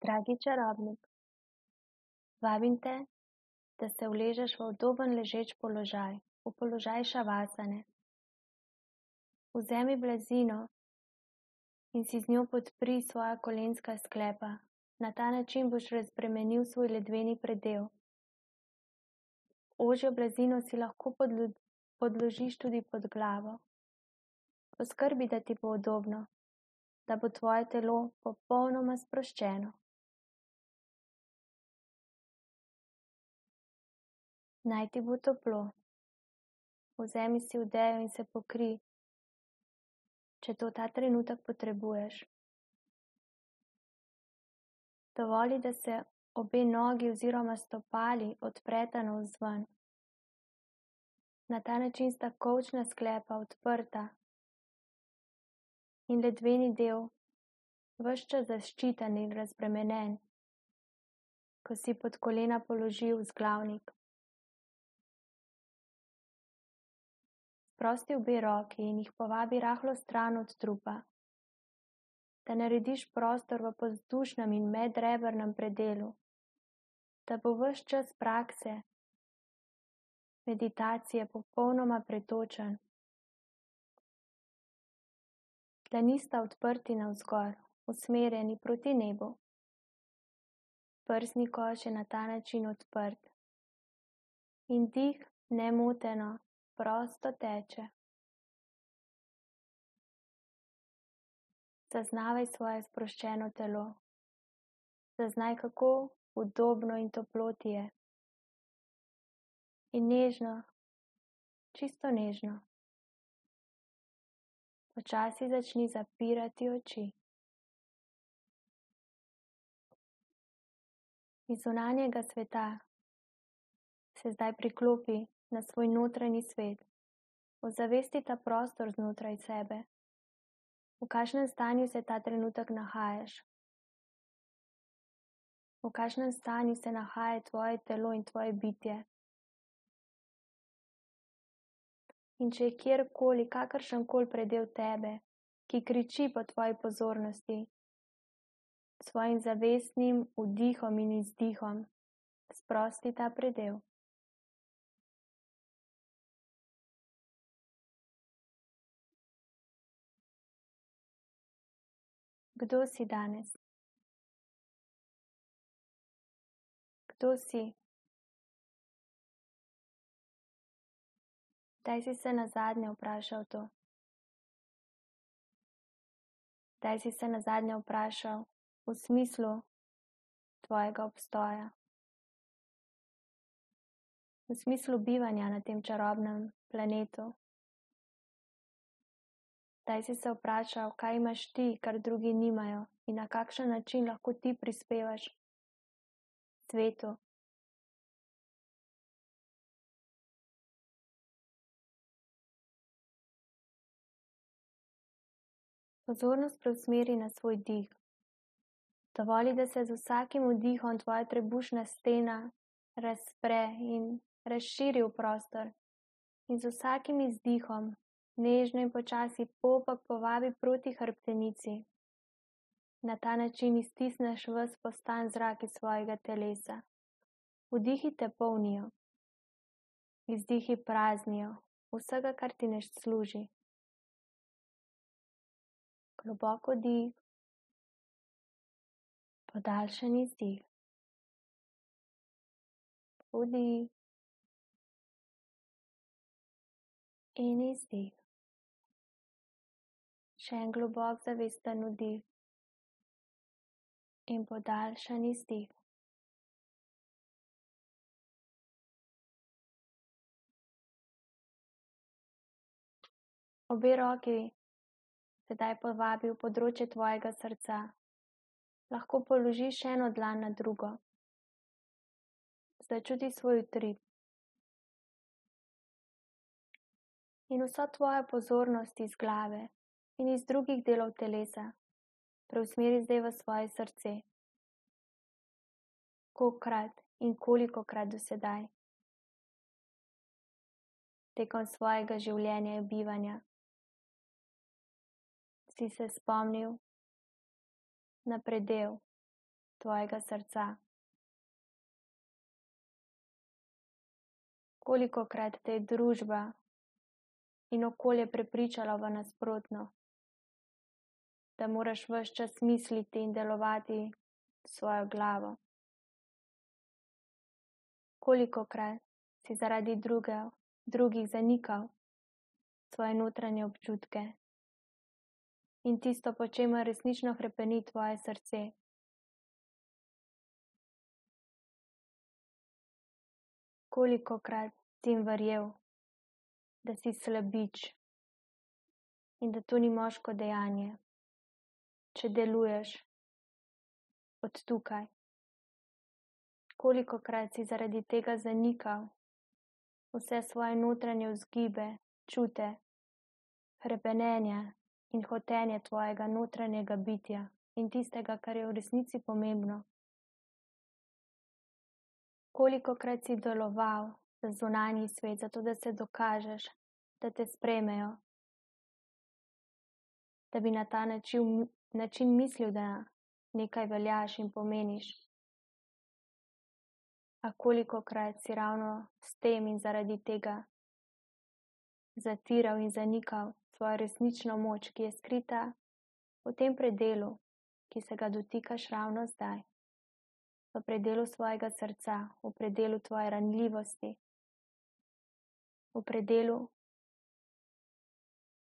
Dragi čarobnik, vabim te, da se uležeš v udoben ležeč položaj, v položaj šavasane. Vzemi blazino in si z njo podpri svoja kolenska sklepa. Na ta način boš razbremenil svoj ledveni predel. Ožjo blazino si lahko podložiš tudi pod glavo. Poskrbi, da ti bo udobno, da bo tvoje telo popolnoma sproščeno. Naj ti bo toplo. Vzemi si odejo in se pokrij, če to ta trenutek potrebuješ. Dovoli, da se obe nogi oziroma stopali odpreta navzven. Na ta način sta kolčna sklepa odprta in ledveni del ves čas zaščiten in razbremenjen, ko si pod kolena položil vzglavnik. Sprosti obe roki in jih povabi rahlo stran od trupa, da narediš prostor v podvzdušnem in medrebrnem predelu, da bo ves čas prakse, meditacije popolnoma pretočen. Dlani sta odprti navzgor, usmerjeni proti nebu. Prsni koš je na ta način odprt in dih nemoteno, prosto teče. Zaznavaj svoje sproščeno telo. Zaznaj, kako udobno in toplo ti je. In nežno, čisto nežno, počasi začni zapirati oči. Iz zunanjega sveta se zdaj priklopi na svoj notranji svet. Ozavesti ta prostor znotraj sebe. V kakšnem stanju se ta trenutek nahajaš? V kakšnem stanju se nahaja tvoje telo in tvoje bitje? In če je kjerkoli, kakršenkoli predel tebe, ki kriči po tvoji pozornosti, s svojim zavestnim vdihom in izdihom, sprosti ta predel. Kdo si danes? Kdo si? Kdaj si se nazadnje vprašal to? Kdaj si se nazadnje vprašal v smislu tvojega obstoja? V smislu bivanja na tem čarobnem planetu? Kdaj si se vprašal, kaj imaš ti, kar drugi nimajo, in na kakšen način lahko ti prispevaš svetu? Pozornost preusmeri na svoj dih. Dovoli, da se z vsakim vdihom tvoja trebušna stena razpre in razširi v prostor. In z vsakim izdihom nežno in počasi popek povabi proti hrbtenici. Na ta način iztisneš ves postan zrak iz svojega telesa. Vdihi te polnijo, izdihi praznijo vsega, kar ti ne služi. Globoko dih, podaljšan izdih. Vdih in izdih. Še en globok zavesten vdih in podaljšan izdih. Obe roki sedaj povabi v področje tvojega srca. Lahko položiš eno dlan na drugo. Začuti svoj utrip. In vso tvojo pozornost iz glave in iz drugih delov telesa preusmeri zdaj v svoje srce. Kolikokrat in kolikokrat do sedaj tekom svojega življenja in bivanja si se spomnil na predel tvojega srca. Kolikokrat te je družba in okolje prepričalo v nasprotno, da moraš ves čas misliti in delovati s svojo glavo. Kolikokrat si zaradi drugih zanikal svoje notranje občutke in tisto, po čemer resnično hrepeni tvoje srce. Kolikokrat si jim verjel, da si slabič in da to ni moško dejanje, če deluješ od tukaj. Kolikokrat si zaradi tega zanikal vse svoje notranje vzgibe, čute, hrepenenja in hotenje tvojega notranjega bitja in tistega, kar je v resnici pomembno. Kolikokrat si deloval za zunanji svet, zato da se dokažeš, da te sprejmejo, da bi na ta način mislil, da nekaj veljaš in pomeniš. A kolikokrat si ravno s tem in zaradi tega zatiral in zanikal svojo resnično moč, ki je skrita v tem predelu, ki se ga dotikaš ravno zdaj. V predelu svojega srca, v predelu tvoje ranljivosti, v predelu,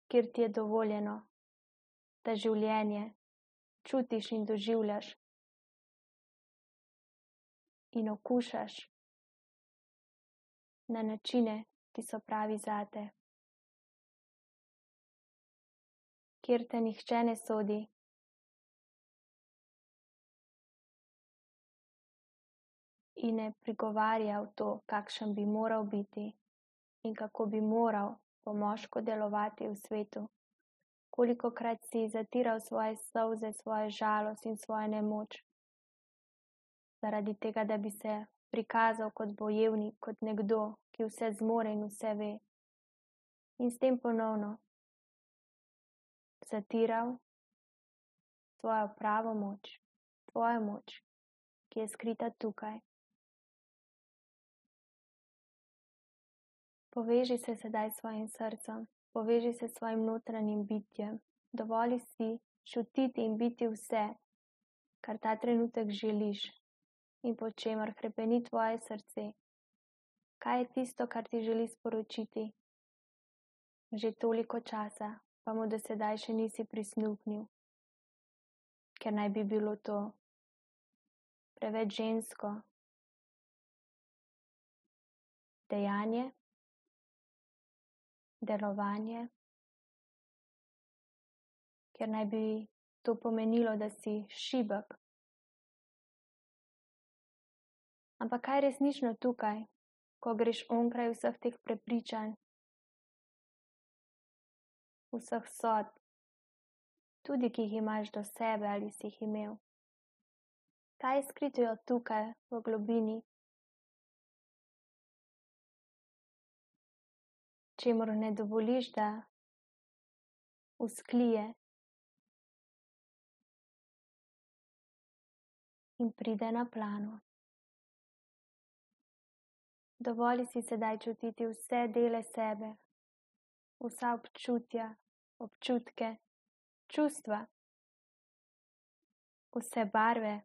kjer ti je dovoljeno, da življenje čutiš in doživljaš in okušaš na načine, ki so pravi zate, kjer te nihče ne sodi, in ne prigovarja v to, kakšen bi moral biti in kako bi moral po moško delovati v svetu. Kolikokrat si zatiral svoje solze, svojo žalost in svojo nemoč, zaradi tega, da bi se prikazal kot bojevnik, kot nekdo, ki vse zmore in vse ve. In s tem ponovno zatiral svojo pravo moč, tvojo moč, ki je skrita tukaj. Poveži se sedaj s svojim srcem, poveži se s svojim notranjim bitjem, dovoli si čutiti in biti vse, kar ta trenutek želiš in po čemer hrepeni tvoje srce. Kaj je tisto, kar ti želi sporočiti? Že toliko časa, pa mu do sedaj še nisi prisluhnil, ker naj bi bilo to preveč žensko dejanje, delovanje, ker naj bi to pomenilo, da si šibek. Ampak kaj je resnično tukaj, ko greš onkraj vseh teh prepričanj, vseh sodb, tudi ki jih imaš do sebe ali si jih imel? Kaj je skrito tukaj v globini, čemur ne dovoliš, da vzklije in pride na plano? Dovoli si sedaj čutiti vse dele sebe, vsa občutja, občutke, čustva, vse barve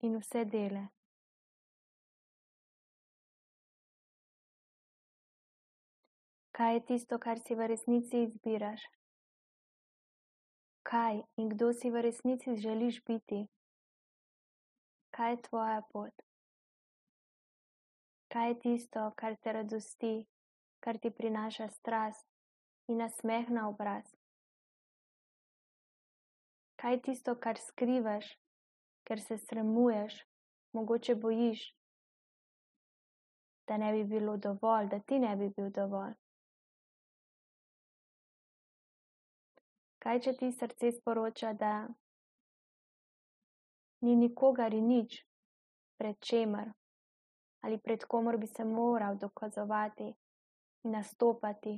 in vse dele. Kaj je tisto, kar si v resnici izbiraš? Kaj in kdo si v resnici želiš biti? Kaj je tvoja pot? Kaj je tisto, kar te radosti, kar ti prinaša strast in nasmeh na obraz? Kaj je tisto, kar skrivaš, ker se sramuješ, mogoče bojiš, da ne bi bilo dovolj, da ti ne bi bil dovolj? Kaj, če ti srce sporoča, da ni nikogar in nič, pred čemer ali pred komor bi se moral dokazovati in nastopati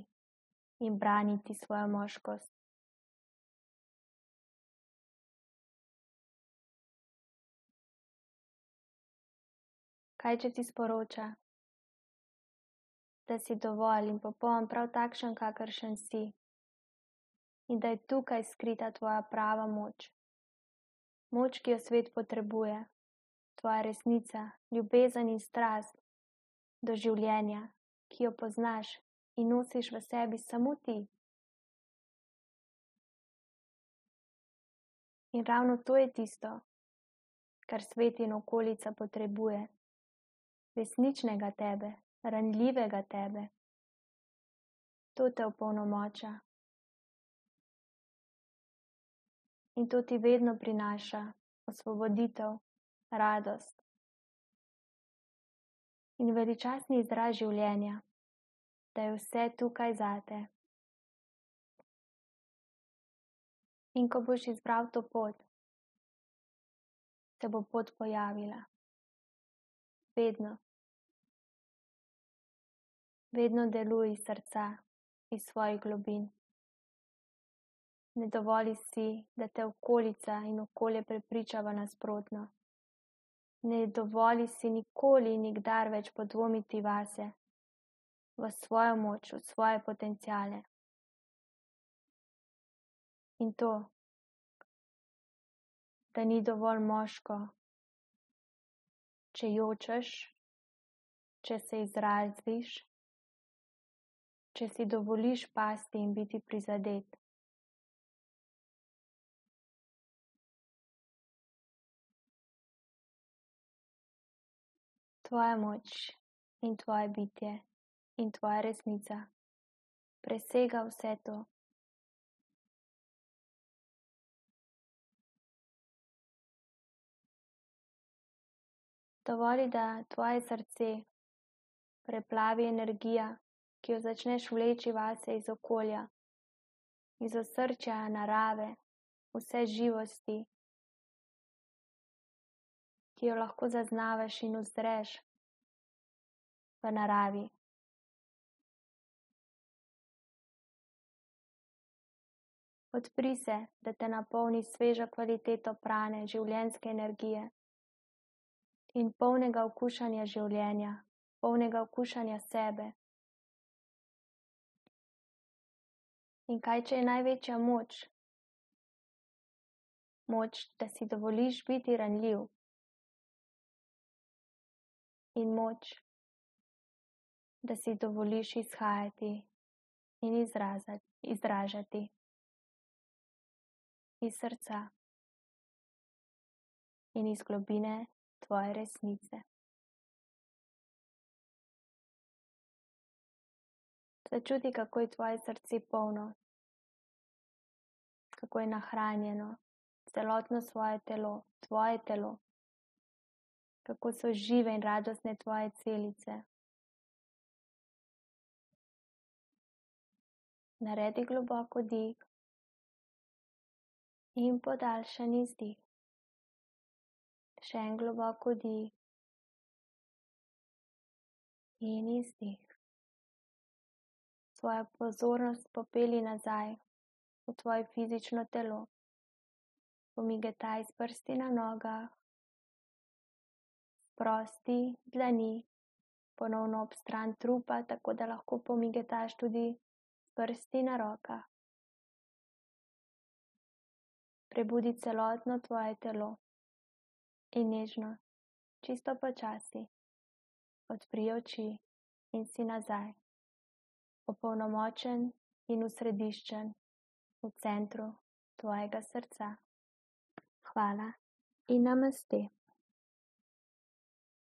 in braniti svojo moškost? Kaj, če ti sporoča, da si dovolj in popoln prav takšen, kakršen si, in da je tukaj skrita tvoja prava moč. Moč, ki jo svet potrebuje, tvoja resnica, ljubezen in strast do življenja, ki jo poznaš in nosiš v sebi samo ti. In ravno to je tisto, kar svet in okolica potrebuje. Resničnega tebe, ranljivega tebe. To te opolnomoča. In to ti vedno prinaša osvoboditev, radost in veličastni izraz življenja, da je vse tukaj zate. In ko boš izbral to pot, se bo pot pojavila. Vedno. Vedno deluj iz srca, iz svojih globin. Ne dovoli si, da te okolica in okolje prepriča v nasprotno. Ne dovoli si nikoli in nikdar več podvomiti vase, v svojo moč, v svoje potenciale. In to, da ni dovolj moško, če jočeš, če se izraziš, če si dovoliš pasti in biti prizadet. Tvoja moč in tvoje bitje in tvoja resnica presega vse to. Dovoli, da tvoje srce preplavi energija, ki jo začneš vleči vase iz okolja, iz osrčja narave, vse živosti, ki jo lahko zaznavaš in uzreš v naravi. Odpri se, da te napolni sveža kvaliteto prane, življenjske energije in polnega okušanja življenja, polnega okušanja sebe. In kaj, če je največja moč? Moč, da si dovoliš biti ranljiv. In moč, da si dovoliš izhajati in izražati iz srca in iz globine tvoje resnice. Začuti, kako je tvoje srce polno, kako je nahranjeno, celotno svoje telo, tvoje telo, kako so žive in radostne tvoje celice. Naredi globoko dih in podaljšan izdih. Še en globoko dih in izdih. Svojo pozornost popelji nazaj v tvoje fizično telo. Pomigetaj s prsti na nogah, sprosti dlani, ponovno ob stran trupa, tako da lahko pomigetaš tudi s prsti na rokah. Prebudi celotno tvoje telo in nežno, čisto počasi, odpri oči in si nazaj, opolnomočen in osrediščen v centru tvojega srca. Hvala in namaste.